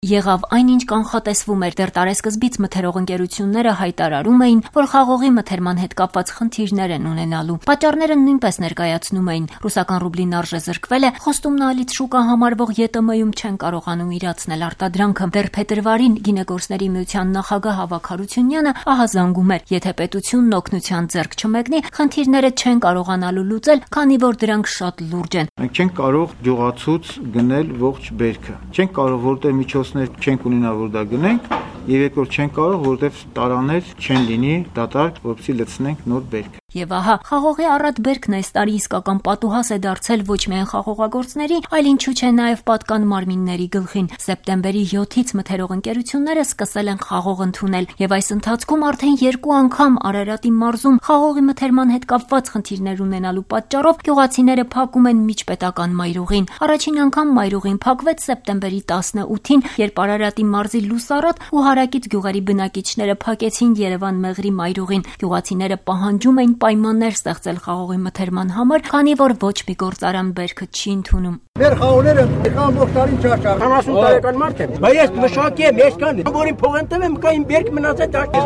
Եղավ այնինչ կանխատեսվում էր, դեռ տարեսկզբից մթերող ընկերությունները հայտարարում էին, որ խաղողի մթերման հետ կապված խնդիրներ են ունենալու։ Պատճառները նույնպես ներկայացնում էին. ռուսական ռուբլին արժե զրկվել է, խոստումնալից շուկա համարվող ԵՏՄ-ում չեն կարողանում իրացնել արտադրանքը։ Դեռ փետրվարին Գինեգործների միության նախագահ Ավագ Հարությունյանը ահազանգում էր, եթե պետությունն օգնության ձեռք չմեկնի, խնդիրները չեն կարողանալու լուծել, քանի որ դրանք շատ լուրջ են։ Մենք չենք կարող գյուղացուց գնել ողջ բերքը։ Չենք կարող որտեղ միջոցներ չենք ունենա, որ դա գնենք, եւ երկրորդ չենք կարող, որտեղ տարաներ չեն լինի դատարկ, որպեսզի լցնենք նոր բերք։ Եվ ահա, խաղողի առատ բերքն այս տարի իսկական պատուհաս է դարձել ոչ միայն խաղողագործների, այլ ինչու՞ չէ նաև պատկան մարմինների գլխին։ Սեպտեմբերի 7-ից մթերող ընկերությունները սկսել են խաղող ընդունել, եւ այս ընթացքում արդեն 2 անգամ Արարատի մարզում խաղողի մթերման հետ կապված խնդիրներ ունենալու պատճառով գյուղացիները փակում են միջպետական մայրուղին։ Առաջին անգամ մայրուղին փակվեց սեպտեմբերի 18-ին, երբ Արարատի մարզի Լուսարատ ու հարակից գյուղերի բնակիչները փակեցին Երևան-Մեղրի մայրուղին։ Գյուղացիները պահանջում էին պայմաններ ստեղծել խաղողի մթերման համար, քանի որ ոչ մի գործարան բերքը չի ընդունում։ Մեր խաղողները ամբողջ տարին չարչար։ 40 տարեկան մարդ եմ, բայց ես մշակի եմ, ես կան, որին փող եմ տվել, կային բերք մնացել դաշտի։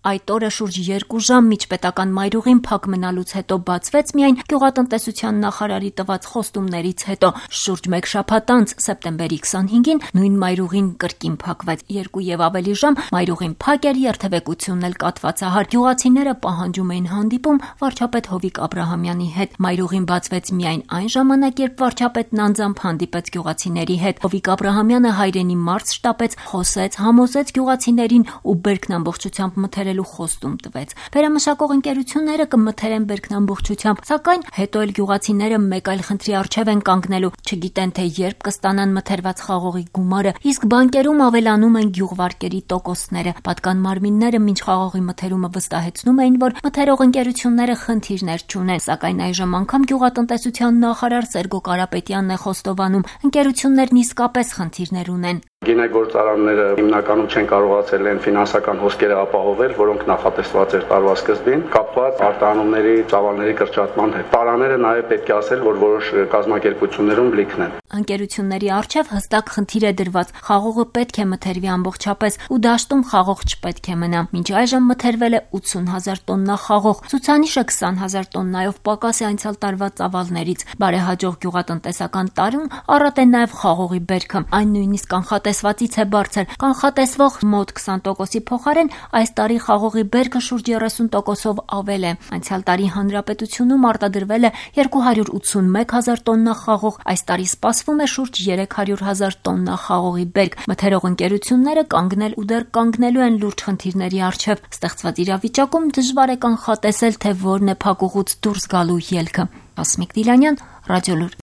Այդ օրը շուրջ 2 ժամ միջպետական մայրուղին փակ մնալուց հետո բացվեց միայն գյուղատնտեսության նախարարի տված խոստումներից հետո։ Շուրջ 1 շաբաթ անց սեպտեմբերի 25-ին նույն մայրուղին կրկին փակվեց։ 2 եւ ավելի ժամ մայրուղին փակ էր, երթևեկությունն էլ կաթվածահար։ Գյուղացիները պահանջում էին հանդիպում վարչապետ Հովիկ Աբրահամյանի հետ։ Մայրուղին բացվեց միայն այն ժամանակ, երբ վարչապետն անձամբ հանդիպեց գյուղացիների հետ։ Հովիկ Աբրահամյանը հայրենի մարզ շտապեց, խոսեց, համոզեց գյուղացիներին ու բերքն ամբողջությամբ մթերել խոստում տվեց։ Վերամշակող ընկերությունները կմթերեն բերքն ամբողջությամբ, սակայն հետո էլ գյուղացիները մեկ այլ խնդրի առջև են կանգնելու, չգիտեն թե երբ կստանան մթերված խաղողի գումարը, իսկ բանկերում ավելանում են գյուղվարկերի տոկոսները։ Պատկան մարմինները մինչ խաղողի մթերումը վստահեցնում էին, որ մթերող ընկերությունները խնդիրներ չունեն, սակայն այժմ անգամ գյուղատնտեսության նախարար Սերգո Կարապետյանն է խոստովանում, ընկերություններն իսկապես խնդիրներ ունեն։ Գինեգործարանները հիմնականում չեն կարողացել են ֆինանսական հոսքերը ապահովել, որոնք նախատեսված էր տարվա սկզբին, կապված արտահանումների ծավալների կրճատման հետ։ Տարաները նաև պետք է ասել, որ որոշ կազմակերպություններում լիքն են։ Ընկերությունների առջև հստակ խնդիր է դրված. խաղողը պետք է մթերվի ամբողջապես ու դաշտում խաղող չպետք է մնա։ Մինչ այժմ մթերվել է 80,000 տոննա խաղող, ցուցանիշը 20,000 տոննայով պակաս է անցյալ տարվա ծավալներից։ Բարեհաջող գյուղատնտեսական տարում առատ է նաև խաղողի բերքը։ Այն նույնիսկ կանխատեսվածից է բարձր։ Կանխատեսվող մոտ 20%-ի փոխարեն այս տարի խաղողի բերքը շուրջ 30%-ով ավել է։ Անցյալ տարի հանրապետությունում արտադրվել է 281,000 տոննա խաղող, այս տարի սպասվում է շուրջ 300,000 տոննա խաղողի բերք։ Մթերող ընկերությունները կանգնել ու դեռ կանգնելու են լուրջ խնդիրների առջև։ Ստեղծված իրավիճակում դժվար է կանխատեսել, թե որն է փակուղուց դուրս գալու ելքը։ Հասմիկ Դիլանյան, Ռադիոլուր։